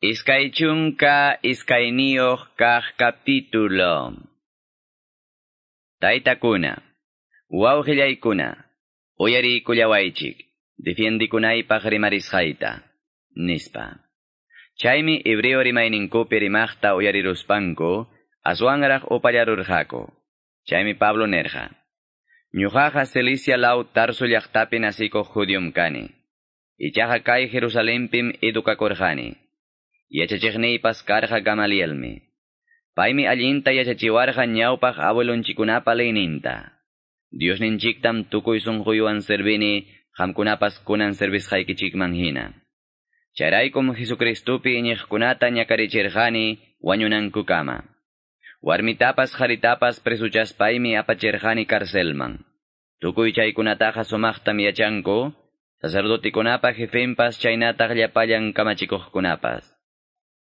22 kaq capítulo. Taytakuna, wawqillaykuna, uyariykullawaychik, defiendikunaypaq rimarisqayta, nispa. Chaymi hebreo rimayninkupi rimaqta uyariruspanku, aswanraq upallarurqaku. Chaymi Pablo nerqa: Ñuqaqa Cilicia law Tarso llaqtapi nasikuq judiom kani. Ichaqa kay Jerusalenpim edukakurqani. Yachachiqniypas karqa Gamalielmi. Paymi allinta yachachiwarqa ñawpaq abuelonchikunapa leyninta. Diosninchiktam tukuy sunquywan servini, qamkunapas kunan servisqaykichikman hina. Chayraykum Jesucristupi iñiqkunata ñakarichirqani wañunankukama. Warmitapas qaritapas presuchaspaymi apachirqani carcelman. Tukuy chaykunataqa sumaqtam yachanku, sacerdotekunapa jefenpas chaynataq llapallan kamachikuqkunapas.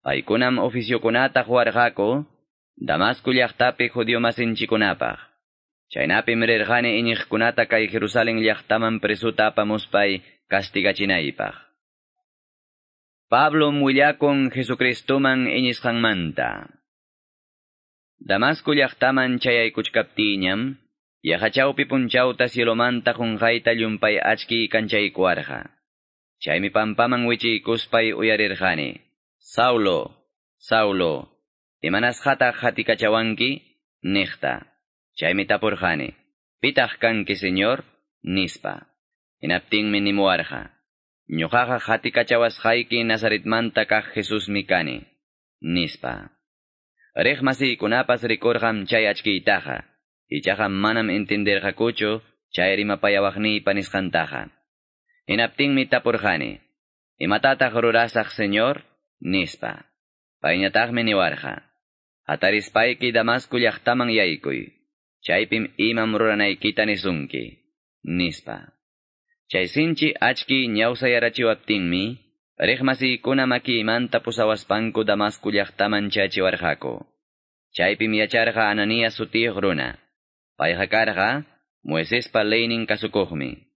Paykunam oficiokunata quwarqaku, Damasco llaqtapi judío masinchikunapaq. Chaynapim rirqani iñiqkunata kay Jerusalén llaqtaman presuta apamuspay castigachinaypaq. Pablo willakun Jesucristuman iñisqanmanta. Damasco llaqtaman chayaykuchkaptiñam, yaqa chawpi punchawta cielomanta qunqayta llumpay achki kanchaykuwarqa. Chaymi pampaman wichiykuspay uyarirqani: Saulo, Saulo, imanasqataq qatikachawanki? Niqta. Chaymi tapurqani: Pitaq kanki, Señor? Nispa. Hinaptinmi nimuwarqa: Ñuqaqa qatikachawasqayki Nazaretmanta kaq Jesusmi kani, nispa. Riq masiykunapas rikurqam chay achkiytaqa, ichaqa manam entenderqakuchu chay rimapayawaqniypa nisqantaqa. Hinaptinmi tapurqani: Imatataq rurasaq, Señor? Nispa. Payñataqmi niwarqa: Hatarispayki Damasco llaqtaman yaykuy, chaypim imam ruranaykita nisunki, nispa. Chay sinchi achki ñawsayarachiwaptinmi, riq masiykuna makiymanta pusawaspanku Damasco llaqtaman chayachiwarqaku. Chaypim yacharqa Ananías sutiyuq runa. Payqa karqa Moisespa leynin kasukuqmi.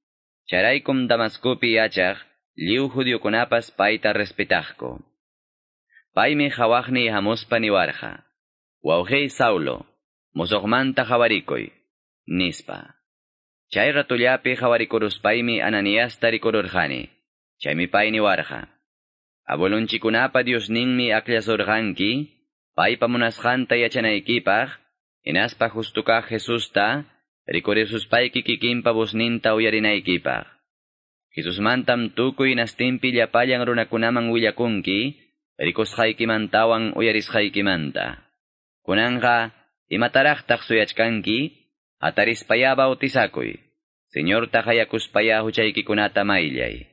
Chayraykum Damascopi yachaq lliw judiokunapas payta respetaqku. Paymi qawaqniy hamuspa niwarqa: Wawqiy Saulo, musuqmanta qawarikuy, nispa. Chay ratullapi qawarikuruspaymi Ananiasta rikururqani. Chaymi pay niwarqa: Abuelonchikunapa Diosninmi akllasurqanki, paypa munasqanta yachanaykipaq, hinaspa justo kaq Jesusta rikurisuspayki kikinpa vozninta uyarinaykipaq. Jesusmantam tukuy hinastinpi llapallan runakunaman willakunki, rikusqaykimantawan uyarisqaykimanta. Kunanqa, imataraqtaq suyachkanki? Hatarispayá bautizakuy. Señorta qayakuspayá huchaykikunata mayllay.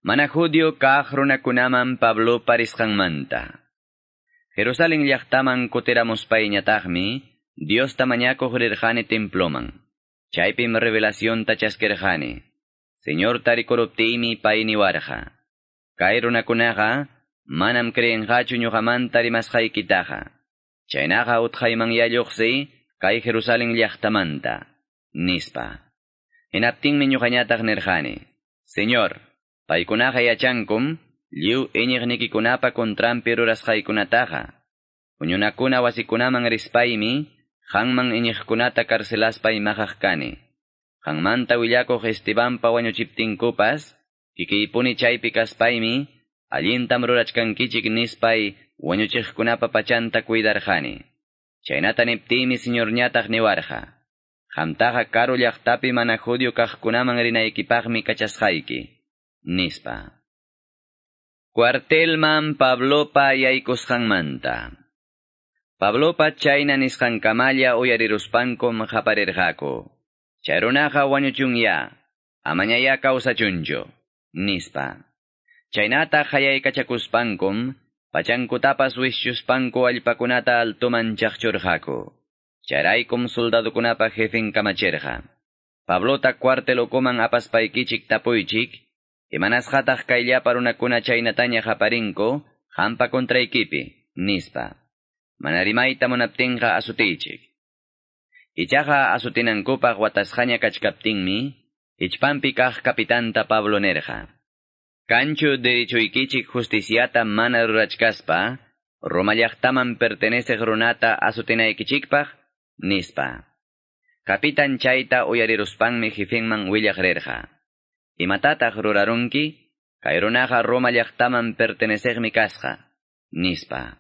Mana judío kaq runakunaman Pablopa risqanmanta. Jerusalén llaqtaman kutiramuspayñataqmi, Diosta mañakuq rirqani temploman. Chaypim revelacionta chaskirqani. Señorta rikuruptiymi pay niwarqa: Kay runakunaqa manam creenqachu ñuqamanta rimasqaykitaqa. Chaynaqa utqaymanyá lluqsiy kay Jerusalén llaqtamanta, nispa. Hinaptinmi ñuqañataq nirqani: Señor, paykunaqa yachankum lliw iñiqnikikunapa contranpi rurasqaykunataqa. Huñunakuna wasikunaman rispaymi qanman iñiqkunata carcelaspay maqaq kani. Qanmanta willakuq Estebanpa wañuchiptinkupas, kikiypuni chaypi kaspaymi allintam rurachkankichik nispay wañuchiqkunapa pachanta cuidarqani. Chaynata niptiymi Señorñataq niwarqa: Qamtaqa karu llaqtapi mana judío kaqkunaman rinaykipaqmi kachasqayki, nispa. Cuartelman Pablopa yaykusqanmanta. Pablopa chayna nisqankamalla uyariruspankum qaparirqaku: Chay runaqa wañuchunyá, amañayá kawsachunchu, nispa. Chaynata qayaykachakuspankum, pachankutapas wischuspanku allpakunata altoman chaqchurqaku. Chayraykum soldadokunapa jefen kamachirqa: Pablota cuartel ukuman apaspaykichik tapuychik, imanasqataq kay llapa runakuna chaynataña qaparinku qampa contraykipi, nispa. Mana rimayta munaptinqa asutiychik. Ichaqa asutinankupaq watasqaña kachkaptinmi, hichpanpi kaq kapitanta Pablo nerqa: Kanchu derechoykichik justiciata mana rurachkaspa, Roma llaqtaman perteneceq runata azotinaykichikpaq, nispa. Kapitan chayta uyariruspanmi jefenman willaq rirqa. Imatataq rurarunki? Kay runaqa Roma llaqtaman perteneceqmi kasqa, nispa.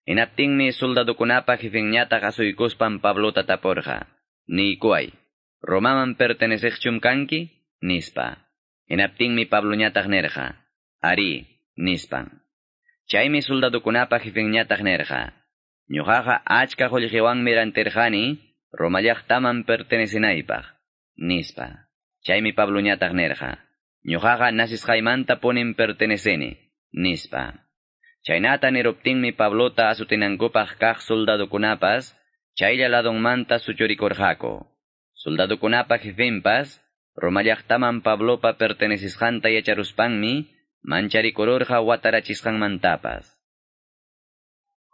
Hinaptinmi soldadokunapa jefenñataq asuykuspan Pablota tapurqa. Niykuway, Romaman perteneceqchum kanki? Nispa. Hinaptinmi Pabloñataq nirqa. Arí, nispan. Chaymi soldadokunapa jefenñataq nirqa. Ñuqaqa achka qullqiwanmi rantirqani Roma llaqtaman pertenecenaypaq, nispa. Chaymi Pabloñataq nirqa. Ñuqaqa nacisqaymanta punim perteneceni, nispa. Chaynata niruptinmi Pablota azotinankupaq kaq soldadokunapas chaylla ladonmanta suchurikurqaku. Soldadokunapa jefenpas Roma llaqtaman Pablopa pertenecisqanta yacharuspanmi mancharikururqa watarachisqanmantapas.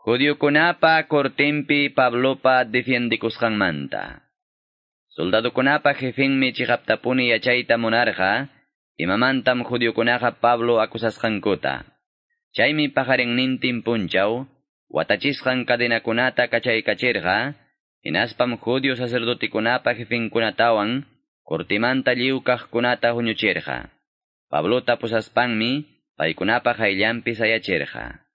Judiokunapa cortenpi Pablopa defiendikusqanmanta. Soldadokunapa jefenmi chiqaptapuni yachayta munarqa, imamantam judiokunaqa Pablo acusasqankuta. Chaymi paqarinnintin punchaw, watachisqan cadenakunata kachaykachirqa, hinaspam judio sacerdotekunapa jefenkunatawan cortimanta lliw kaqkunata huñuchirqa. Pablota pusaspanmi paykunapa qayllanpi sayachirqa.